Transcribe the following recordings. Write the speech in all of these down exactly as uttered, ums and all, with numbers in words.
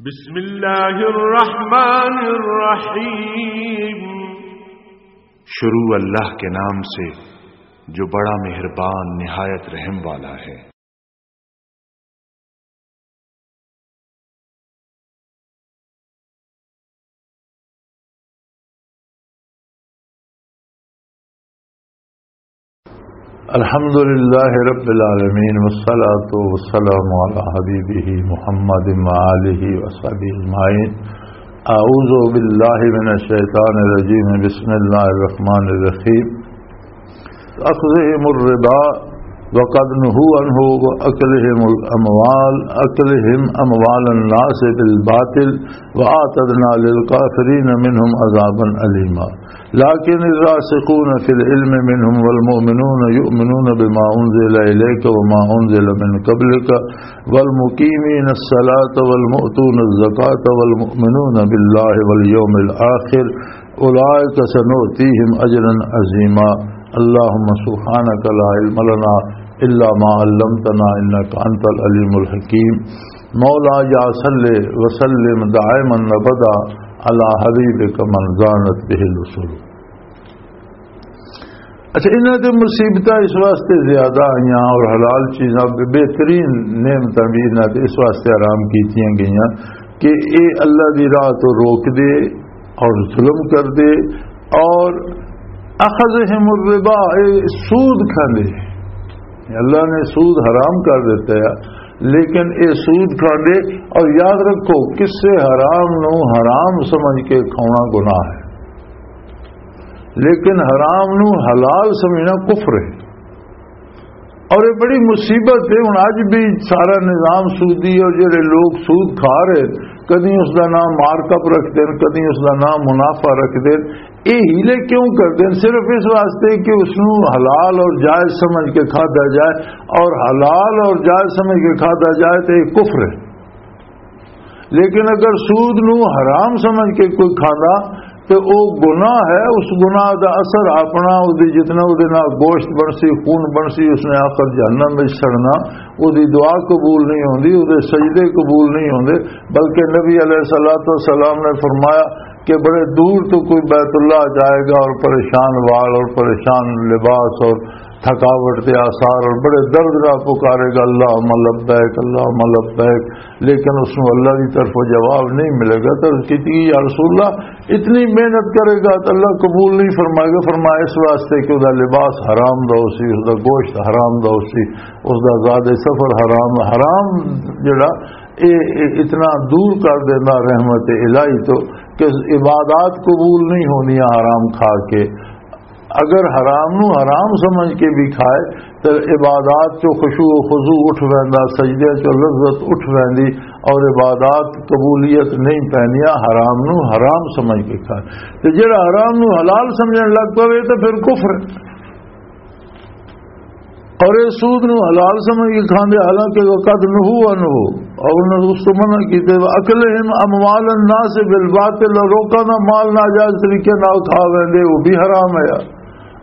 بسم اللہ الرحمن الرحیم۔ شروع اللہ کے نام سے جو بڑا مہربان نہایت رحم والا ہے۔ الحمد لله رب العالمين، والصلاة والسلام على حبيبه محمد وآله وصحبه أجمعين. أعوذ بالله من الشيطان الرجيم. بسم الله الرحمن الرحيم. أخذهم الربا وقد نهوا عنه وأكلهم الأموال، أكلهم أموال الناس بالباطل وأعتدنا للكافرين منهم عذابا أليما. لكن الراسخون في العلم منهم والمؤمنون يؤمنون بما أنزل إليك وما أنزل من قبلك والمقيمين الصلاة والمؤتون الزكاة والمؤمنون بالله واليوم الآخر أولئك سنؤتيهم أجرا عظيما. اللهم سبحانك لا علم لنا إلا ما علمتنا إنك أنت العليم الحكيم. مولا يا صل وسلم دائما أبدا على حبيبك من زانت به الأصول. اچھا، انہاں تے مصیبتاں اس واسطے زیادہ آئیاں اور حلال چیزاں، بہترین نعمتاں بھی انہاں تے اس واسطے حرام کیتیاں گئیاں کہ اے اللہ دی راہ تو روک دے اور ظلم کر دے، اور اخذہم الربا، اے سود کھاندے۔ اللہ نے سود حرام کر دیتا ہے، لیکن اے سود کھاندے۔ اور یاد رکھو، کسے حرام نو حرام سمجھ کے کھانا گناہ ہے، لیکن حرام نو حلال سمجھنا کفر ہے۔ اور یہ بڑی مصیبت ہے۔ ہن اج بھی سارا نظام سودی ہے، اور جڑے لوگ سود کھا رہے، کدی اس دا نام مارک اپ رکھ دین، کدی اس دا نام منافع رکھ دین۔ یہ ہیلے کیوں کر دین؟ صرف اس واسطے کہ اس نو حلال اور جائز سمجھ کے کھادا جائے، اور حلال اور جائز سمجھ کے کھادا جائے تو یہ کفر ہے۔ لیکن اگر سود نو حرام سمجھ کے کوئی کھانا، تے او گناہ ہے۔ اس گناہ دا اثر اپنا، او دی جتنا او دے نال گوشت بنسی، خون بنسی، اس نے آخر جہنم وچ سڑنا۔ او دی دعا قبول نہیں ہوندی، او دے سجدے قبول نہیں ہوندے۔ بلکہ نبی علیہ الصلوۃ والسلام نے فرمایا کہ بڑے دور تو کوئی بیت اللہ جائے گا اور پریشان وال اور پریشان لباس اور تھکاوٹ دے آثار اور بڑے درد نال پکارے گا، "اللہم لبیک، اللہم لبیک"، لیکن اس نوں اللہ دی طرفوں جواب نہیں ملے گا۔ تو عرض کیتی، "یا رسول اللہ، اتنی محنت کرے گا تو اللہ قبول نہیں فرمائے گا؟" فرمایا، "اس واسطے کہ اس دا لباس حرام دا ہو سی، اس دا گوشت حرام دا ہو سی، اس دا زاد سفر حرام۔" حرام جڑا اے، اے اتنا دور کر دینا رحمت الہی تو کہ عبادات قبول نہیں ہونی حرام کھا کے۔ اگر حرام نو حرام سمجھ کے بھی کھائے، تو عبادات چو خشوع و خضوع اٹھ ویندا، سجدے چو لذت اٹھ ویندی، اور عبادات قبولیت نہیں پیندیاں حرام نو حرام سمجھ کے کھائے۔ تے جڑا حرام نو حلال سمجھن لگ پوے، تو پھر کفر۔ اور یہ سود نو حلال سمجھ کے کھاندے، حالانکہ وقد نہو عنہ، اور انہوں نے اس تو منع کیتے۔ "وَأَكْلِهِمْ أَمْوَالَ النَّاسِ بِالْبَاطِلِ"، اور لوکاں دا مال ناجائز طریقے نال کھا ویندے، وہ بھی حرام ہے۔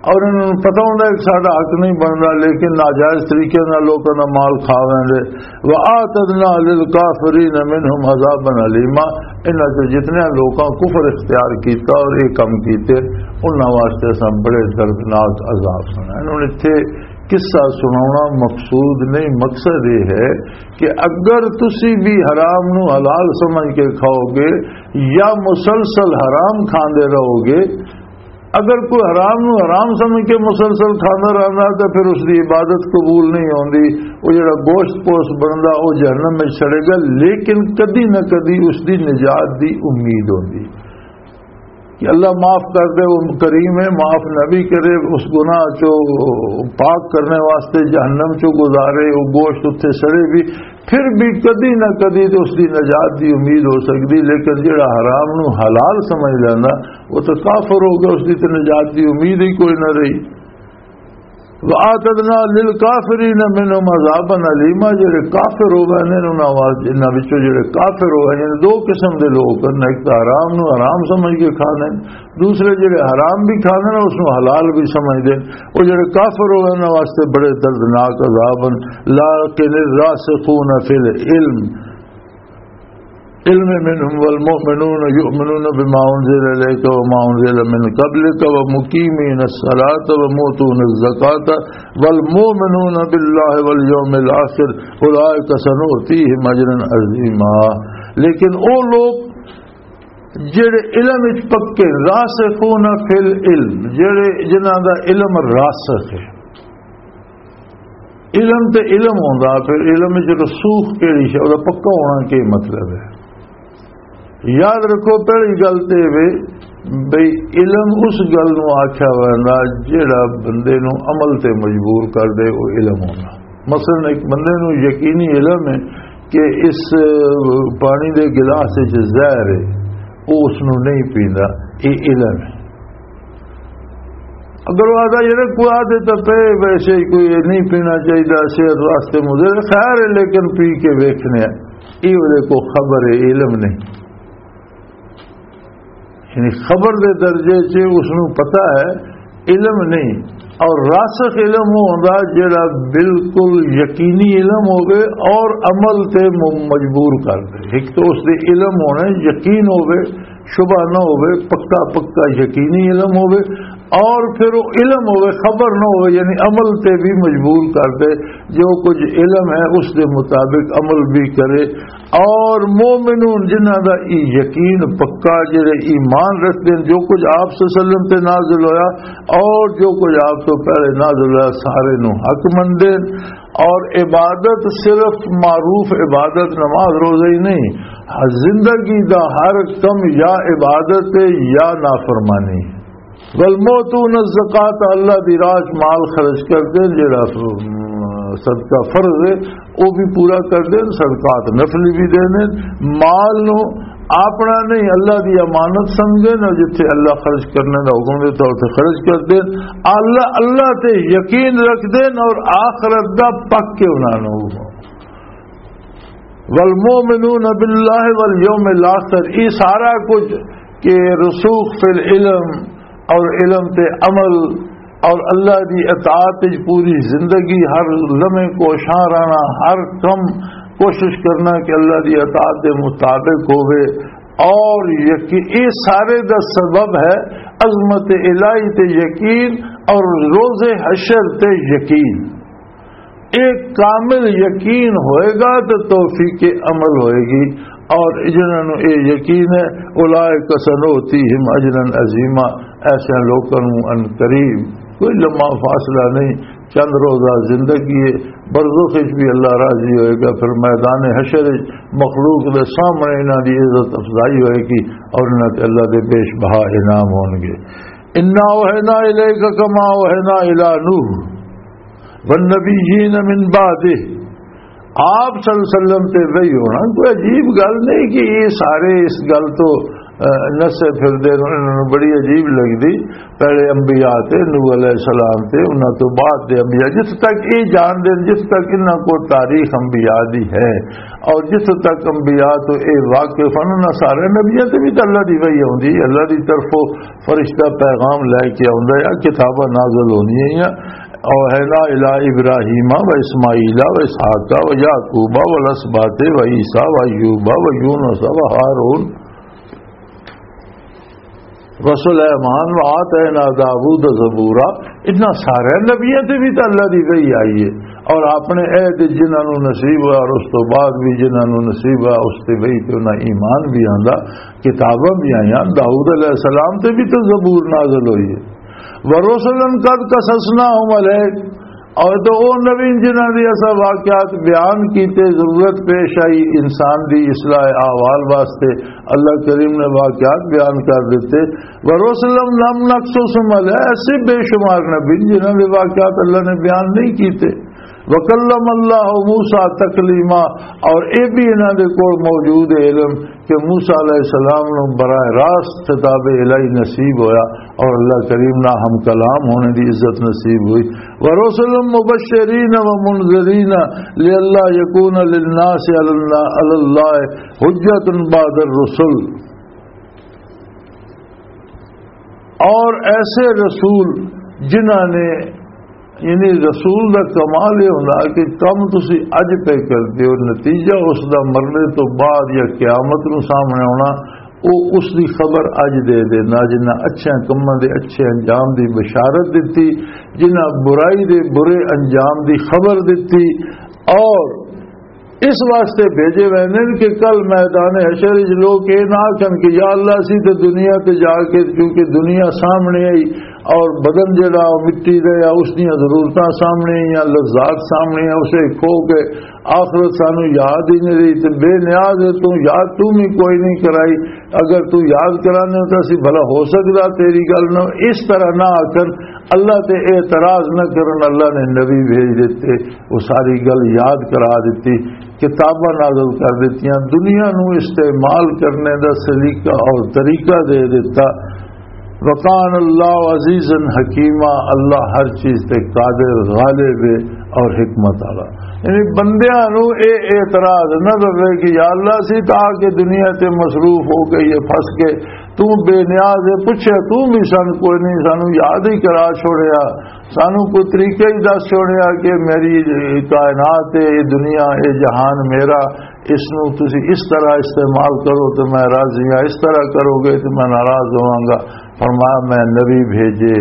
اور انہوں نے پتہ ہوندا ہے کہ ساڈا حق نہیں بندا، لیکن ناجائز طریقے نال لوکاں دا مال کھا ویندے۔ "وَأَعْتَدْنَا لِلْكَافِرِينَ مِنْهُمْ عَذَابًا أَلِيمًا"، انہاں چوں جتنے لوکاں کفر اختیار کیتا اور یہ کم کیتے، انہاں واسطے اساں بڑے دردناک عذاب بنائے۔ انہوں نے اتھے قصہ سناونا مقصود نہیں، مقصد یہ ہے کہ اگر تسی بھی حرام نو حلال سمجھ کے کھاؤ گے یا مسلسل حرام کھاندے رہو گے، اگر کوئی حرام نو حرام سمجھ کے مسلسل کھاندا رہندا، تو پھر اس دی عبادت قبول نہیں ہوندی۔ وہ جڑا گوشت پوست بندا، وہ جہنم میں سڑے گا، لیکن کدی نہ کدی اس دی نجات دی امید ہوندی کہ اللہ معاف کر دے، وہ کریم ہے، معاف نبی کرے، اس گناہ چو پاک کرنے واسطے جہنم چو گزارے، وہ گوشت اتھے سڑے بھی، پھر بھی کدی نہ کدی تو اس دی نجات دی امید ہو سکدی۔ لیکن جڑا حرام نو حلال سمجھ لینا، وہ تو کافر ہو گیا، اس دی تو نجات دی امید ہی کوئی نہ رہی۔ "وَأَعْتَدْنَا لِلْكَافِرِينَ مِنْهُمْ عَذَابًا أَلِيمًا"، جڑے کافر ہو گئے نے، انہاں واسطے، انہاں وچوں جڑے کافر ہو گئے نے، دو قسم دے لوگ نے، ایک تو حرام نو حرام سمجھ کے کھانے، دوسرے جڑے حرام بھی کھانے نے، اس نو حلال بھی سمجھدے۔ وہ جڑے کافر ہو گئے، انہاں واسطے بڑے دردناک عذاب ہیں۔ لَكِنِ الرَّاسِخُونَ فِي الْعِلْمِ، العلم منهم والمؤمنون يؤمنون بما أنزل إليك وما أنزل من قبلك ومقيمين الصلاة ومؤتون الزكاة والمؤمنون بالله واليوم الآخر أولئك سنؤتيهم أجرا عظيما۔ لیکن او لوگ جڑے علم وچ پکے، راسخون فی العلم، جڑے، جنہاں دا علم راسخ ہے۔ علم تے علم ہوندا، پھر علم وچ رسوخ کیڑی شے، او دا پکا ہونا کی مطلب ہے؟ یاد رکھو، پہلی گل تے وے بھئی، علم اس گل نو آکھیا ویندا جیڑا بندے نو عمل تے مجبور کر دے، او علم ہونا۔ مثلاً ایک بندے نو یقینی علم ہے کہ اس پانی دے گلاس وچ زہر ہے، او اس نو نہیں پیندا، اے علم ہے۔ اگر وہ آدھا، یار، کوئی آدھے تو پہ ویسے ہی کوئی نہیں پینا چاہیے، صحت واسطے مضر ہے، خیر ہے، لیکن پی کے ویکھنے ہیں، یہ وہ کو خبر ہے، علم نہیں۔ یعنی خبر دے درجے چ اس نو پتہ ہے، علم نہیں۔ اور راسخ علم وہ ہوندا جڑا بالکل یقینی علم ہوے اور عمل تے م-، مجبور کر دے۔ ایک تو اس دے علم ہونے، یقین ہوے، شبہ نہ ہوے، پکا پکا یقینی علم ہوے، اور پھر وہ علم ہوے، خبر نہ ہوے، یعنی عمل تے بھی مجبور کر دے۔ جو کچھ علم ہے اس دے مطابق عمل بھی کرے۔ اور مومنون، جنہاں دا ای یقین پکا، جڑے ایمان رکھدے ہیں جو کچھ آپ صلی اللہ علیہ وسلم تے نازل ہویا اور جو کچھ آپ تو پہلے نازل ہویا، سارے نو حق مندے ہیں۔ اور عبادت صرف معروف عبادت نماز روزہ ہی نہیں، زندگی دا ہر کم یا عبادت ہے یا نافرمانی۔ والمؤتون الزکات، اللہ دی راہ چ مال خرچ کردے، جڑا، ام، صدقہ فرض ہے، او بھی پورا کردے، صدقات نفلی بھی دیندے۔ مال نو اپنا نہیں، اللہ دی امانت سمجھدے، اور جتھے اللہ خرچ کرنے دا حکم دیتا، اوتھے خرچ کردے۔ اللہ، اللہ تے یقین رکھدے اور آخرت دا پک کے انہاں نو۔ والمؤمنون باللہ والیوم الاخر، یہ سارا کچھ کہ رسوخ فی العلم اور علم تے عمل اور اللہ دی اطاعت وچ پوری زندگی، ہر لمحے کوشاں رہنا، ہر کم کوشش کرنا کہ اللہ دی اطاعت دے مطابق ہوئے۔ اور یقین، یہ سارے دا سبب ہے عظمت الہی تے یقین اور روز حشر تے یقین۔ ایک کامل یقین ہوئے گا تو توفیق عمل ہوئے گی۔ اور جنہاں نوں یہ یقین ہے، اولئک سنؤتیہم اجرا عظیما، ایسے لوگوں نوں ان قریب، کوئی لمحہ فاصلہ نہیں، چند روزہ زندگی ہے، برزخ وچ بھی اللہ راضی ہوئے گا، پھر میدان حشر وچ مخلوق دے سامنے انہاں دی عزت افزائی ہوئے گی اور انہاں تے اللہ دے بیش بہا انعام ہون گے۔ انا اوحینا الیک کما اوحینا الی نوح والنبیین من بعدہ۔ آپ صلی اللہ علیہ وسلم تے وحی ہونا کوئی عجیب گل نہیں کہ یہ سارے اس گل تو، اہ، نسے پھردے نے، انہاں نوں بڑی عجیب لگدی۔ پہلے انبیاء تے، نوح علیہ السلام تے، انہاں تو بعد دے انبیاء، جس تک یہ جان دے، جس تک انہاں کو تاریخ انبیاء دی ہے اور جس تک انبیاء تو یہ واقف ہیں، انہاں سارے نبیاں تے بھی تے اللہ دی وحی ہوندی، اللہ دی طرفوں فرشتہ پیغام لے کے آوندا ہے، کتاباں نازل ہوندیاں ہیں۔ اوحینا الی ابراہیم و اسماعیل و اسحاق و یعقوب و الاسباط و عیسی و ایوب و یونس و ہارون و سلیمان و آتینا داوود زبورا۔ اتنا سارے نبیوں تے بھی تے اللہ دی وحی آئی ہے، اور اپنے عہد جنہاں نوں نصیب ہوا اور اس تو بعد بھی جنہاں نوں نصیب ہوا، اس تے وحی تے انہاں ایمان بھی آندا، کتاباں بھی آئیاں۔ داؤد علیہ السلام تے بھی تو زبور نازل ہوئی ہے۔ ورسلا قد قصصناہم علیک، اور تو او نبی جنہاں دی اساں واقعات بیان کیتے، ضرورت پیش آئی انسان دی اصلاح احوال واسطے، اللہ کریم نے واقعات بیان کر دیتے۔ ورسلا لم نقصصہم علیک، ایسے بے شمار نبی جنہاں دے واقعات اللہ نے بیان نہیں کیتے۔ وکلم اللہ موسیٰ تکلیما، اور اے بھی انہاں دے کول موجود ہے علم کہ موسیٰ علیہ السلام نو براہ راست خطاب الہی نصیب ہویا اور اللہ کریم نہ ہم کلام ہونے دی عزت نصیب ہوئی۔ ورسلا مبشرین ومنذرین لئلا یکون للناس علی اللہ، علی اللہ حجت بعد الرسل۔ اور ایسے رسول جنہاں نے یعنی رسول دا کمال یہ ہوندا کہ کم تسی اج پہ کردے ہو، نتیجہ اس دا مرنے تو بعد یا قیامت نو سامنے آنا، او اس دی خبر اج دے دینا۔ جنہاں اچھے کماں دے اچھے انجام دی بشارت دتی، جنہاں برائی دے برے انجام دی خبر دتی، اور اس واسطے بھیجے ویندے نے کہ کل میدان حشر وچ لوگ یہ نہ آکھن کہ یا اللہ، اسی تے دنیا تے جا کے، کیونکہ دنیا سامنے آئی اور بدن جڑا او مٹی دے یا اس دیاں ضرورتاں سامنے یا لذات سامنے، اسے کھو کے آخرت سانو یاد ہی نہیں رہی، تے بے نیاز ہے تو یاد تو بھی کوئی نہیں کرائی۔ اگر تو یاد کرانے ہو تو اسی بھلا ہو سکدا تیری گل نہ، اس طرح نہ آکھن، اللہ تے اعتراض نہ کرن۔ اللہ نے نبی بھیج دیتے، وہ ساری گل یاد کرا دیتی، کتاباں نازل کر دیتیاں، دنیا نو استعمال کرنے دا سلیقہ اور طریقہ دے دیتا۔ وکان اللہ عزیزا حکیما، اللہ ہر چیز تے قادر، غالب ہے اور حکمت والا۔ یعنی بندیاں نو اے اعتراض نہ رہے کہ یا اللہ، اسی تا کہ دنیا تے مصروف ہو گئی ہے، پھنس کے، تو بے نیاز ہے، پوچھے تو بھی سن کوئی نہیں، سانو یاد ہی کرا چھوڑیا، سانو کوئی طریقہ ہی دس چھوڑیا کہ میری کائنات ہے، یہ دنیا، یہ جہان میرا، اس نو تسی اس طرح استعمال کرو تو میں راضی ہاں، اس طرح کرو گے تو میں ناراض ہواں گا۔ فرمایا، میں نبی بھیجے،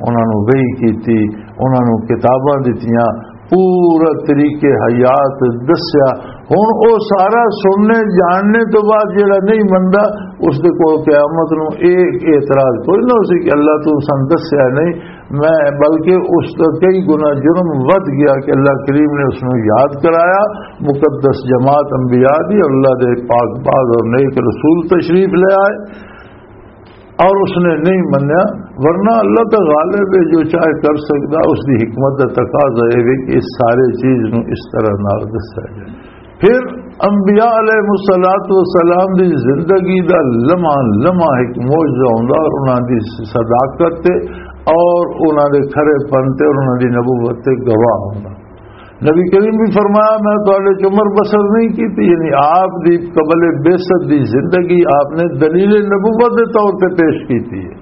انہاں نو وحی کیتی، انہاں نو کتاباں دتیاں، پورا طریقے حیات دسیا۔ ہن او سارا سننے جاننے تو بعد جڑا نہیں مندا، اس دے کول قیامت نو ایک اعتراض کوئی نہ ہو سی کہ اللہ تو سن دسیا نہیں، میں، بلکہ اس کا کئی گنا جرم ودھ گیا کہ اللہ کریم نے اس نو یاد کرایا۔ مقدس جماعت انبیاء دی، اللہ دے پاک باز اور نیک رسول تشریف لے آئے اور اس نے نہیں منیا، ورنہ اللہ تو غالب ہے، جو چاہے کر سکتا، اس دی حکمت دا تقاضا یہ وے کہ اس سارے چیز نو اس طرح نال دسیا جائے۔ پھر انبیاء علیہ الصلوۃ والسلام دی زندگی دا لمحہ لمحہ ایک معجزہ ہوندا، اور انہاں دی صداقت تے اور انہاں دے کھرے پن تے اور انہاں دی نبوت تے گواہ ہوندا۔ نبی کریم بھی فرمایا، میں تہاڈے چ عمر بسر نہیں کیتی، یعنی آپ دی قبل بعثت دی زندگی آپ نے دلیل نبوت دے طور تے پیش کیتی ہے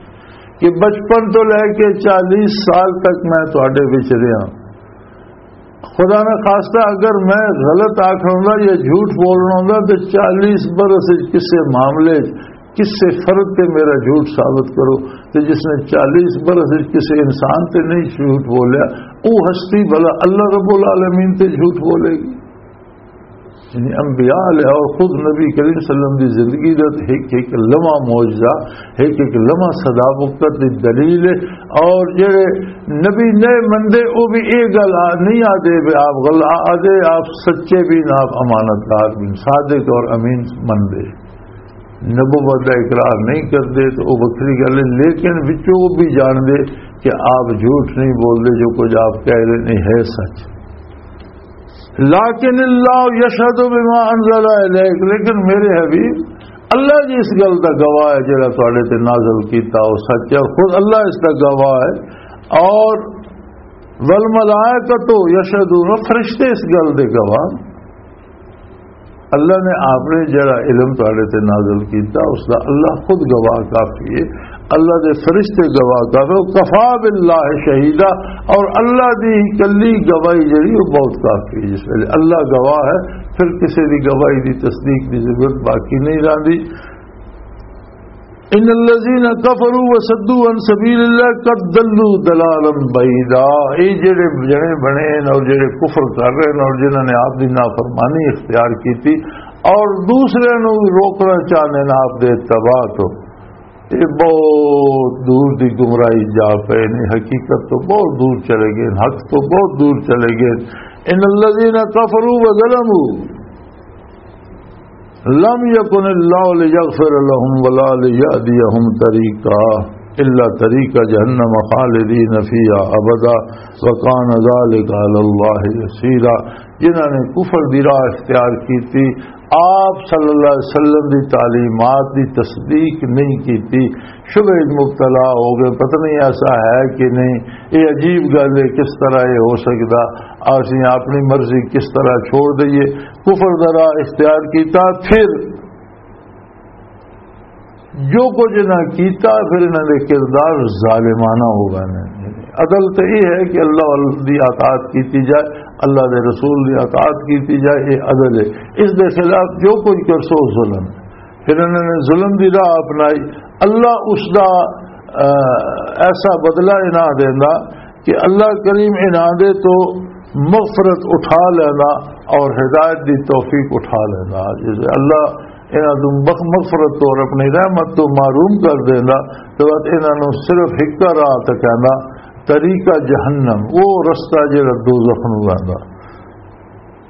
کہ بچپن تو لے کے چالیس سال تک میں تہاڈے وچ رہیا۔ خدا نہ خواستہ اگر میں غلط آکھنا ہوندا یا جھوٹ بولنا ہوندا تو چالیس برس وچ کسے معاملے وچ کسے فرد تے میرا جھوٹ ثابت کرو، تے جس نے چالیس برس وچ کسے انسان تے نہیں جھوٹ بولیا، او ہستی بھلا اللہ رب العالمین تے جھوٹ بولے گی؟ یعنی انبیاء علیہ اور خود نبی کریم صلی اللہ علیہ وسلم دی زندگی دا ایک ایک لمحہ معجزہ، ایک ایک لمحہ صداقت دی دلیل ہے۔ اور جڑے نبی نئے مندے، او بھی اے گل آ-، نہیں آدے بھی آپ غل-، آ-، آدے آپ سچے بھی نہ، آپ امانت دار بھی، صادق اور امین مندے۔ نبوت دا اقرار نہیں کردے تو وہ وکھری گل ہے، لیکن وچوں وہ بھی جان دے کہ آپ جھوٹ نہیں بول دے، جو کچھ آپ کہہ رہے نہیں ہے سچ۔ لیکن اللہ یشہد بما انزل الیک، لیکن میرے حبیب، اللہ جی اس گل دا گواہ ہے، جڑا تواڈے تے نازل کیتا وہ سچ ہے، اور خود اللہ اس دا گواہ ہے۔ اور والملائکۃ یشہدون، فرشتے اس گل دے گواہ۔ اللہ نے آپ نے جڑا علم تواڈے تے نازل کیتا، اس دا اللہ خود گواہ کافی ہے، اللہ دے فرشتے گواہ کافی ہے، کفا باللہ شہیدا، اور اللہ دی کلی گواہی جڑی وہ بہت کافی ہے۔ جس ویلے اللہ گواہ ہے، پھر کسی دی گواہی دی تصدیق دی ضرورت باقی نہیں رہندی۔ ان الذين كفروا وصدوا عن سبيل الله قد ضلوا ضلالا بعيدا، اے جڑے جنے بنے ہیں اور جڑے کفر کر رہے ہیں اور جنہاں نے آپ دی نافرمانی اختیار کی تھی اور دوسرے نو روکنا چاہنے ہیں آپ دے اتباع تو، یہ بہت دور دی گمراہی جا پے نے، حقیقت تو بہت دور چلے گئے، حق تو بہت دور چلے گئے۔ ان الذين كفروا وظلموا لم يكن الله ليغفر لهم ولا ليهديهم طريقا الا طريق جهنم خالدين فيها ابدا وكان ذلك على الله يسيرا۔ جنہاں نے کفر دی راہ اختیار کیتی، آپ صلی اللہ علیہ وسلم دی تعلیمات دی تصدیق نہیں کیتی، شبہے وچ مبتلا ہو گئے، پتہ نہیں ایسا ہے کہ نہیں، یہ عجیب گل ہے، کس طرح یہ ہو سکدا، اسی اپنی مرضی کس طرح چھوڑ دئیے، کفر دا راہ اختیار کیتا، پھر جو کچھ انہاں کیتا، پھر انہاں دے کردار ظالمانہ ہو گئے نے۔ عدل تے یہ ہے کہ اللہ دی اطاعت کیتی جائے، اللہ دے رسول دی اطاعت کیتی جائے، یہ عدل ہے۔ اس دے خلاف جو کچھ کرسو، ظلم ہے۔ پھر انہوں نے ظلم دی راہ اپنائی۔ اللہ اس دا، آ، ایسا بدلہ انہاں دیندا کہ اللہ کریم انہاں دے تو مغفرت اٹھا لینا اور ہدایت دی توفیق اٹھا لینا۔ جس اللہ انہاں تو مغ-، مغفرت تو اور اپنی رحمت تو محروم کر دیندا، تو بعد انہاں نوں صرف ہک راہ تے کہنا، طریقہ جہنم، وہ رستہ جڑا دوزخ نوں ویندا۔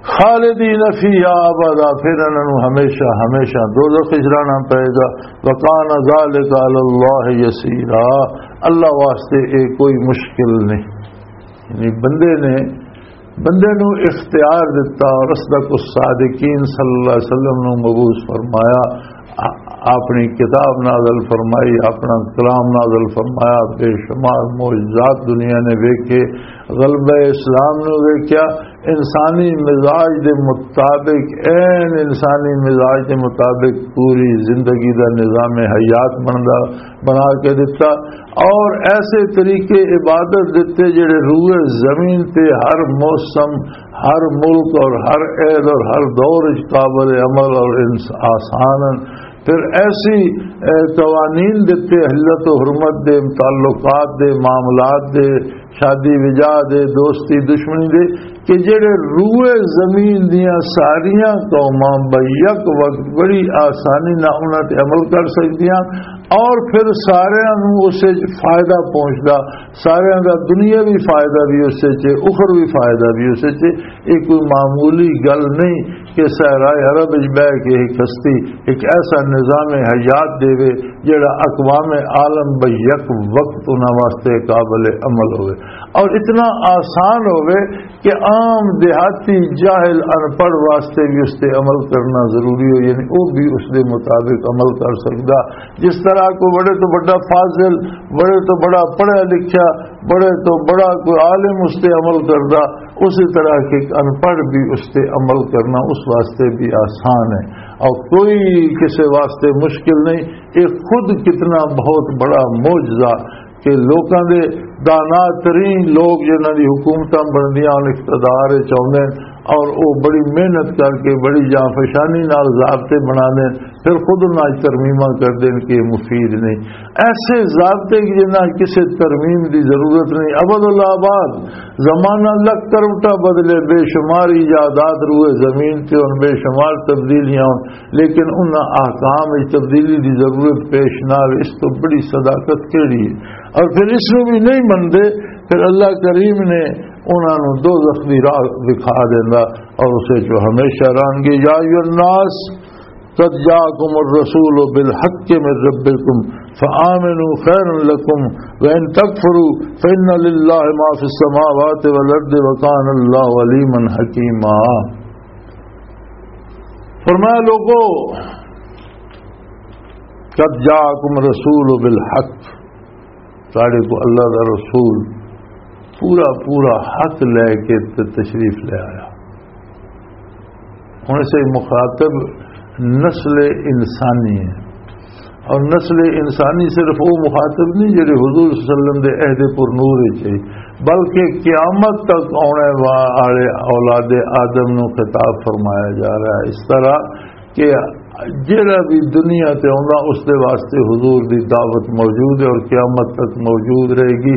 خالدین فیہا ابدا، پھر انہاں نوں ہمیشہ، ہمیشہ دوزخ وچ رہنا پئے گا۔ وکان ذالک علی اللہ یسیرا، اللہ واسطے یہ کوئی مشکل نہیں۔ یعنی بندے نے، بندے نوں اختیار دتا اور اصدق الصادقین صلی اللہ علیہ وسلم نوں مبعوث فرمایا، آ-، اپنی کتاب نازل فرمائی، اپنا کلام نازل فرمایا، بے شمار معجزات دنیا نے ویکھے، غلبہ اسلام نوں ویکھیا، انسانی مزاج دے مطابق، عین انسانی مزاج دے مطابق پوری زندگی دا نظام حیات بندا، بنا کے دتا، اور ایسے طریقے عبادت دتے جڑے روئے زمین تے ہر موسم، ہر ملک اور ہر عہد اور ہر دور وچ قابل عمل اور انس-، آسان ہیں۔ پھر ایسی، اے، قوانین دتے، حلت و حرمت دے، تعلقات دے، معاملات دے، شادی وجاہ دے، دوستی دشمنی دے، کہ جڑے روئے زمین دیاں ساریاں قوماں بیک وقت بڑی آسانی نال انہاں تے عمل کر سکدیاں، اور پھر ساریاں نوں اس وچ فائدہ پہنچدا، ساریاں دا دنیاوی فائدہ بھی اس وچ ہے، اخروی فائدہ بھی اس وچ ہے۔ یہ کوئی معمولی گل نہیں کہ صحرائے عرب وچ بہ کے ایک ہستی ایک ایسا نظام حیات دے وے جڑا اقوام عالم بیک وقت انہاں واسطے قابل عمل ہوئے اور اتنا آسان ہوئے کہ عام دیہاتی جاہل ان پڑھ واسطے بھی اس تے عمل کرنا ضروری ہو، یعنی وہ بھی اس دے مطابق عمل کر سکدا۔ جس طرح کوئی بڑے تو بڑا فاضل، بڑے تو بڑا پڑھا لکھا، بڑے تو بڑا کوئی عالم اس تے عمل کردا، اسی طرح کہ ایک ان پڑھ بھی اس تے عمل کرنا اس واسطے بھی آسان ہے اور کوئی کسی واسطے مشکل نہیں۔ یہ خود کتنا بہت بڑا معجزہ کہ لوکاں دے دانا ترین لوگ جنہاں دی حکومتاں بندیاں ہن، اقتدار وچ آوندے ہن اور او بڑی محنت کر کے بڑی جانفشانی نال ضابطے بناندے ہن، پھر خود انہاں وچ ترمیماں کردے ہن کہ یہ مفید نہیں۔ ایسے ضابطے کہ جنہاں کسے ترمیم دی ضرورت نہیں، ابد الآباد، زمانہ لکھ کروٹا بدلے، بے شمار ایجادات روئے زمین تے ہن، بے شمار تبدیلیاں ہن، لیکن انہاں احکام وچ تبدیلی دی ضرورت پیش نہ آوے، اس تو بڑی صداقت کیڑی ہے؟ اور پھر اس نوں بھی نہیں مندے، پھر اللہ کریم نے انہاں نوں دوزخ دی راہ دکھا دیندا اور اسے چ ہمیشہ رہن گے۔ یا ایھا الناس قد جاءکم الرسول بالحق من ربکم فآمنوا خیرا لکم وان تکفروا فان للہ ما فی السماوات والارض وکان اللہ علیما حکیما۔ فرمایا، لوگو، قد جاءکم رسول بالحق، تہاڈے کو اللہ دا رسول پورا پورا حق لے کے ت-، تشریف لے آیا۔ ہن اسے مخاطب نسل انسانی ہے، اور نسل انسانی صرف وہ مخاطب نہیں جڑے حضور صلی اللہ علیہ وسلم دے عہد پر نور وچ ہے، بلکہ قیامت تک آنے والے اولاد آدم نو خطاب فرمایا جا رہا ہے۔ اس طرح کہ جڑا بھی دنیا تے آندا، اس دے واسطے حضور دی دعوت موجود ہے اور قیامت تک موجود رہے گی۔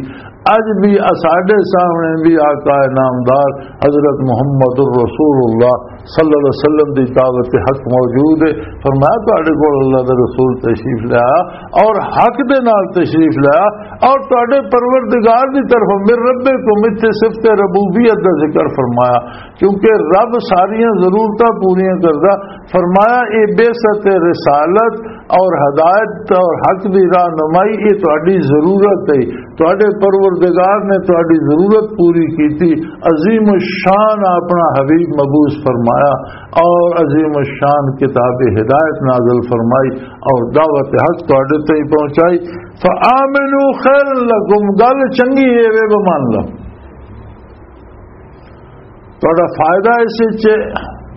اج بھی اساڈے سامنے بھی آقا نامدار حضرت محمد الرسول اللہ صلی اللہ علیہ وسلم دی دعوت حق موجود ہے۔ فرمایا، تہاڈے کول اللہ دا رسول تشریف لایا اور حق دے نال تشریف لایا اور تہاڈے پروردگار دی طرف، من ربکم، اتھے صفت ربوبیت دا ذکر فرمایا، کیونکہ رب ساریاں ضرورتاں پوریاں کردا۔ فرمایا، اے بعثت رسالت اور ہدایت اور حق دی راہنمائی، اے تہاڈی ضرورت ہے۔ تہاڈے پروردگار نے تہاڈی ضرورت پوری کیتی۔ عظیم الشان اپنا حبیب مبعوث فرمایا اور عظیم الشان کتاب ہدایت نازل فرمائی اور دعوت حق تہاڈے تائیں پہنچائی۔ فآمنوا خیر لکم، گل چنگی ہے وے، مان لو۔ تہاڈا فائدہ اس وچ ہے،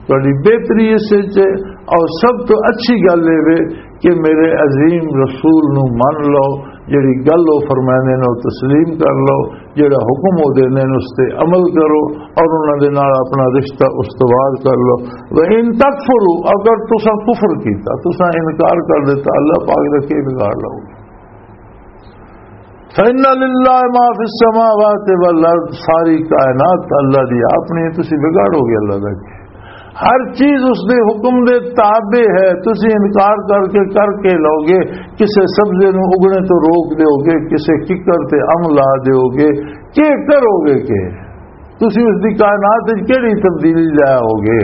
تہاڈی بہتری اس وچ ہے، اور سب تو اچھی گل یہ وے کہ میرے عظیم رسول نو من لو، جڑی گل وہ فرماندے نے، وہ تسلیم کر لو، جڑا حکم وہ دیندے نے، اس تے عمل کرو، اور انہاں دے نال اپنا رشتہ استوار کر لو۔ وَإِن تَكْفُرُوا، اگر تساں کفر کیتا، تساں انکار کر دیتا، اللہ پاک دا کی بگاڑ لو؟ فَإِنَّ لِلَّهِ مَا فِي السَّمَاوَاتِ وَالْأَرْضِ، ساری کائنات اللہ دی اپنی، تسی بگاڑو گے اللہ دا کی؟ ہر چیز اس دے حکم دے تابع ہے۔ تسی انکار کر کے، کر کے لوگے، کسے سبزے نو اگنے تو روک دیو گے، کسے ککڑ تے ام لا دیو گے، کی کرو گے؟ کہ تسی اس دی کائنات وچ کیڑی تبدیلی لے آؤ گے؟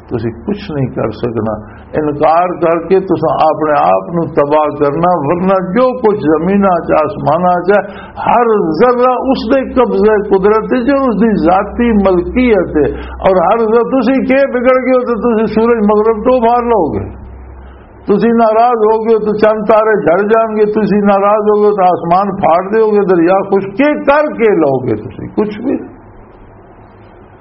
تسی کچھ نہیں کر سکنا۔ انکار کر کے تساں اپنے آپ نو تباہ کرنا، ورنہ جو کچھ زمیناں چ، آسماناں چ ہے، ہر ذرہ اس دے قبضہ قدرت وچ، اس دی ذاتی ملکیت ہے۔ اور ہر ذرہ، تسی کے بگڑ گئے ہو تو تسی سورج مغرب تو مار لو گے، تسی ناراض ہو گئے تو چند تارے جھڑ جان گے، تسی ناراض ہو گئے تو آسمان پھاڑ دیو گے، دریا خشک کے کر کے لو گے، تسی کچھ بھی۔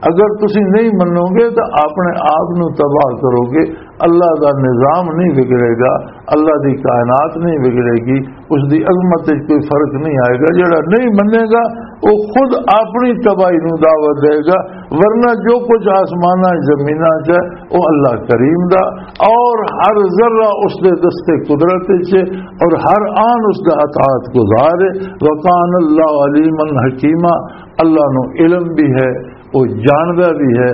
اگر تسی نہیں منو گے تو اپنے آپ نو تباہ کرو گے۔ اللہ دا نظام نہیں بگڑے گا، اللہ دی کائنات نہیں بگڑے گی، اس دی عظمت وچ کوئی فرق نہیں آئے گا۔ جڑا نہیں منے گا، وہ خود اپنی تباہی نو دعوت دے گا، ورنہ جو کچھ آسماناں زمیناں چ ہے، وہ اللہ کریم دا، اور ہر ذرہ اس دے دستے قدرت وچ ہے، اور ہر آن اس دا اطاعت گزار ہے۔ وَكَانَ اللَّهُ عَلِيمًا حَكِيمًا، اللہ نو علم بھی ہے، وہ جاندا بھی ہے،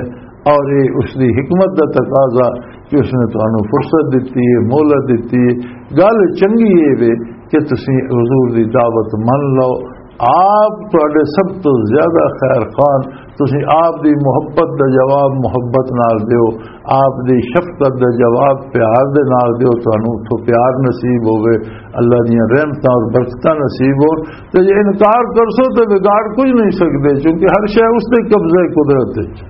اور یہ اس دی حکمت دا تقاضا کہ اس نے تانوں فرصت دتی ہے، مہلت دتی ہے۔ گل چنگی اے وے کہ تسی حضور دی دعوت من لو۔ آپ تہاڈے سب تو زیادہ خیر خواہ، تسی آپ دی محبت دا جواب محبت نال دیو، آپ دی شفقت دا جواب پیار دے نال دیو، تانوں اتھوں پیار نصیب ہوے، اللہ دیاں رحمتاں اور برکتاں نصیب ہو۔ تے جے انکار کرسو تے بگاڑ کچھ نہیں سکدے، کیونکہ ہر شے اس دے قبضے قدرت وچ۔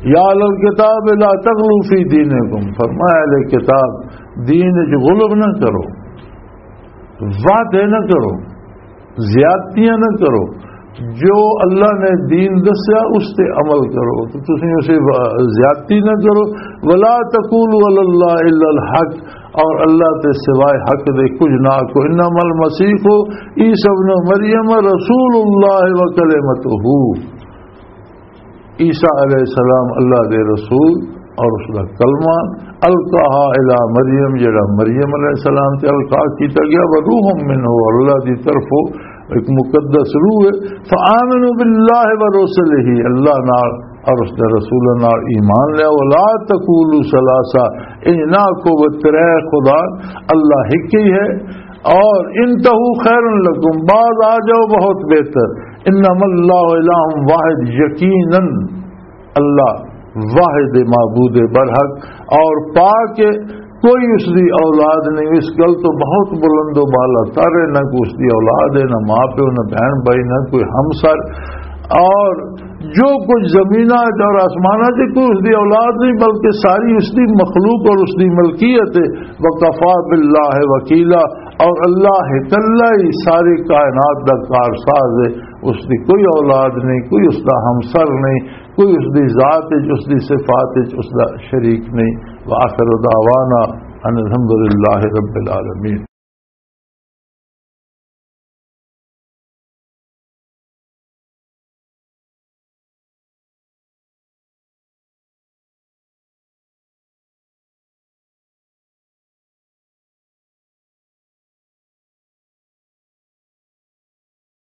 یا اہل الکتاب لا تغلوا فی دینکم، فرمایا اہل کتاب، دین وچ غلو نہ کرو، وعدے نہ کرو، زیادتیاں نہ کرو۔ جو اللہ نے دین دسیا، اس تے عمل کرو، تو تسی اسے وا-، زیادتی نہ کرو۔ ولا تقولوا علی اللہ الا الحق، اور اللہ تے سوائے حق دے کچھ نہ آکھو۔ انما المسیح عیسی ابن مریم رسول اللہ و کلمتہ، عیسیٰ علیہ السلام اللہ دے رسول اور اس دا کلمہ، القاها الی مریم، جڑا مریم علیہ السلام تے القا کیتا گیا، و روح منہ، اور اللہ دی طرفوں ایک مقدس روح ہے۔ فآمنوا باللہ و رسلہ، اللہ نال اور اس دے رسول نال ایمان لیا۔ ولا تقولوا ثلاثہ، انج نہ آکھو وہ ترے خدا، اللہ ہک ہی ہے۔ اور انتہوا خیر لکم، باز آ جاؤ، بہت بہتر۔ انما اللہ الہ واحد، یقیناً اللہ واحد معبود برحق اور پاک ہے، کوئی اس دی اولاد نہیں۔ اس گل تو بہت بلند و بالا تر ہے، نہ کوئی اس دی اولاد ہے، نہ ماں پیو، نہ بہن بھائی، نہ کوئی ہمسر۔ اور جو کچھ زمیناں چ اور آسماناں چ، کوئی اس دی اولاد نہیں، بلکہ ساری اس دی مخلوق اور اس دی ملکیت ہے۔ وکفی باللہ وکیلا، اور اللہ اکلا ہی ساری کائنات دا کارساز ہے۔ اس دی کوئی اولاد نہیں، کوئی اس دا ہمسر نہیں، کوئی اس دی ذات وچ، اس دی صفات وچ اس دا شریک نہیں۔ وآخر دعوانا ان الحمد للہ رب العالمین۔